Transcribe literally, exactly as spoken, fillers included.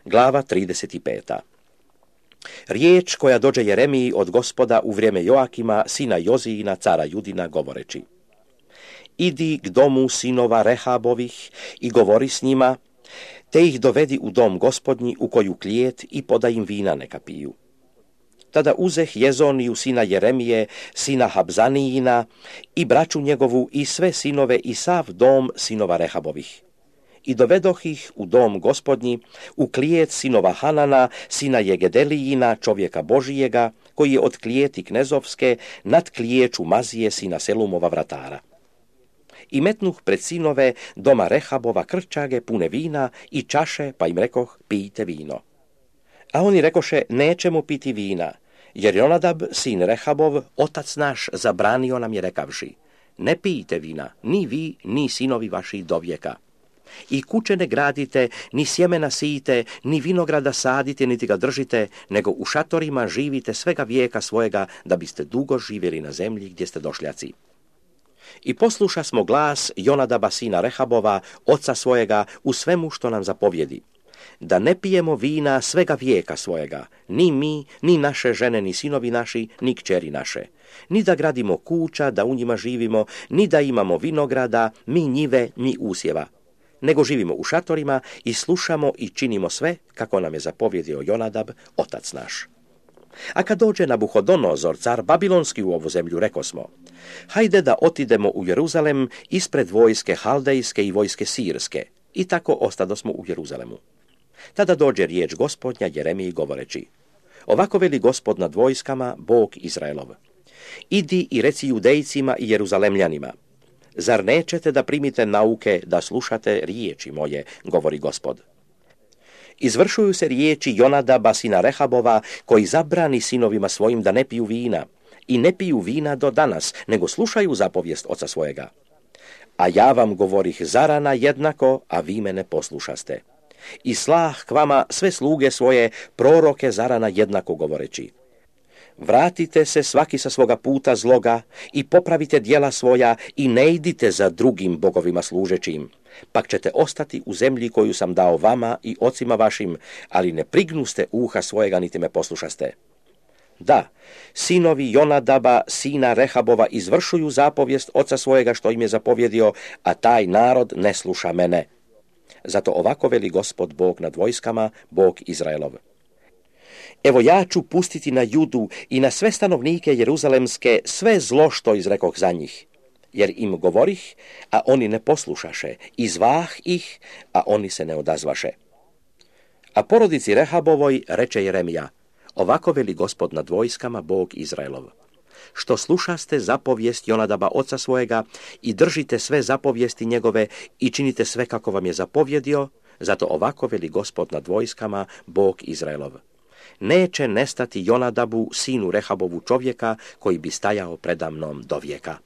Glava trideset pet. Riječ koja dođe Jeremiji od Gospoda u vrijeme Joakima, sina Jozijina, cara Judina, govoreći: Idi k domu sinova Rehabovih i govori s njima, te ih dovedi u dom Gospodnji u koju klijet i podaj im vina neka piju. Tada uzeh Jezoniju sina Jeremije, sina Habzanijina, i braću njegovu i sve sinove i sav dom sinova Rehabovih. I dovedoh ih u dom Gospodnji, u klijet sinova Hanana, sina Jegedelijina, čovjeka Božijega, koji je od klijeti knezovske, nad klijeću Mazije, sina Selumova vratara. I metnuh pred sinove doma Rehabova krčage pune vina i čaše, pa im rekoh, pijte vino. A oni rekoše, nećemo piti vina, jer Jonadab, sin Rehabov, otac naš, zabranio nam je rekavši, ne pijte vina, ni vi, ni sinovi vaši do vijeka. I kuće ne gradite, ni sjemena sijite, ni vinograda sadite, niti ga držite, nego u šatorima živite svega vijeka svojega, da biste dugo živjeli na zemlji gdje ste došljaci. I posluša smo glas Jonadaba sina Rehabova, oca svojega, u svemu što nam zapovjedi, da ne pijemo vina svega vijeka svojega, ni mi, ni naše žene, ni sinovi naši, ni kćeri naše, ni da gradimo kuća, da u njima živimo, ni da imamo vinograda, mi njive, ni usjeva, nego živimo u šatorima i slušamo i činimo sve kako nam je zapovjedio Jonadab, otac naš. A kad dođe Nabuhodonozor, car babilonski, u ovu zemlju, rekosmo, hajde da otidemo u Jeruzalem ispred vojske haldejske i vojske sirske, i tako ostadosmo u Jeruzalemu. Tada dođe riječ Gospodnja Jeremiji govoreći, ovako veli Gospod nad vojskama, Bog Izraelov, idi i reci Judejcima i Jeruzalemljanima, zar nećete da primite nauke, da slušate riječi moje, govori Gospod. Izvršuju se riječi Jonadaba sina Rehabova, koji zabrani sinovima svojim da ne piju vina, i ne piju vina do danas, nego slušaju zapovijest oca svojega. A ja vam govorih zarana jednako, a vi me ne poslušaste. I slah k vama sve sluge svoje, proroke zarana jednako govoreći. Vratite se svaki sa svoga puta zloga i popravite djela svoja i ne idite za drugim bogovima služećim, pak ćete ostati u zemlji koju sam dao vama i ocima vašim, ali ne prignuste uha svojega niti me poslušaste. Da, sinovi Jonadaba, sina Rehabova, izvršuju zapovijest oca svojega što im je zapovjedio, a taj narod ne sluša mene. Zato ovako veli Gospod Bog nad vojskama, Bog Izraelov. Evo ja ću pustiti na Judu i na sve stanovnike Jeruzalemske sve zlo što izrekoh za njih, jer im govorih, a oni ne poslušaše, i zvah ih, a oni se ne odazvaše. A porodici Rehabovoj reče Jeremija, ovako veli Gospod nad vojskama, Bog Izraelov. Što slušaste zapovijest Jonadaba oca svojega i držite sve zapovijesti njegove i činite sve kako vam je zapovjedio, zato ovako veli Gospod nad vojskama, Bog Izraelov. Neće nestati Jonadabu, sinu Rehabovu čovjeka, koji bi stajao preda mnom do vijeka.